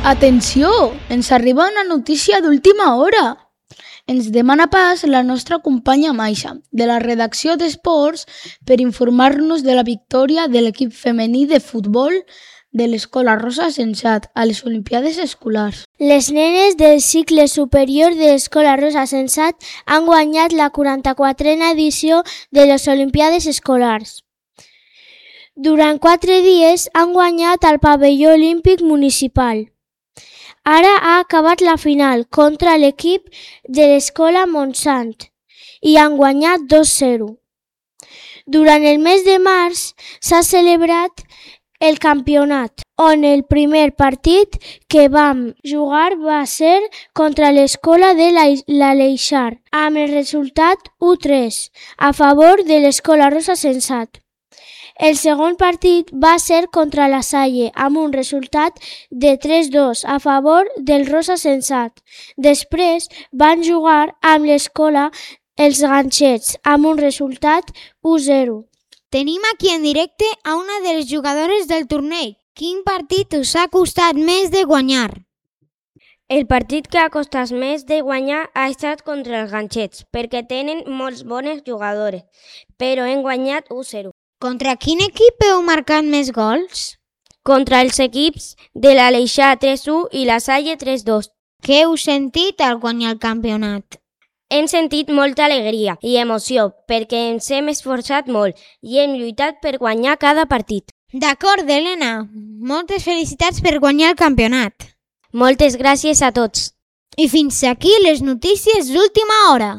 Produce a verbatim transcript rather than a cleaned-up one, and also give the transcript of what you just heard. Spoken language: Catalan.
Atenció! Ens arriba una notícia d'última hora. Ens demana pas la nostra companya Maixa, de la redacció d'Esports, per informar-nos de la victòria de l'equip femení de futbol de l'Escola Rosa Sensat a les Olimpíades Escolars. Les nenes del cicle superior de l'Escola Rosa Sensat han guanyat la quaranta-quatrena edició de les Olimpíades Escolars. Durant quatre dies han guanyat al pavelló olímpic municipal. Ara ha acabat la final contra l'equip de l'Escola Montsant i han guanyat dos a zero. Durant el mes de març s'ha celebrat el campionat, on el primer partit que vam jugar va ser contra l'Escola de l'Aleixar, amb el resultat u a tres a favor de l'Escola Rosa Sensat. El segon partit va ser contra la Salle, amb un resultat de tres a dos a favor del Rosa Sensat. Després van jugar amb l'Escola Els Ganxets, amb un resultat u a zero. Tenim aquí en directe a una de les jugadores del torneig. Quin partit us ha costat més de guanyar? El partit que ha costat més de guanyar ha estat contra els Ganxets, perquè tenen molts bones jugadores, però hem guanyat u a zero. Contra quin equip heu marcat més gols? Contra els equips de l'Aleixar tres a u i la Salle tres a dos. Què heu sentit al guanyar el campionat? Hem sentit molta alegria i emoció perquè ens hem esforçat molt i hem lluitat per guanyar cada partit. D'acord, Helena. Moltes felicitats per guanyar el campionat. Moltes gràcies a tots. I fins aquí les notícies d'última hora.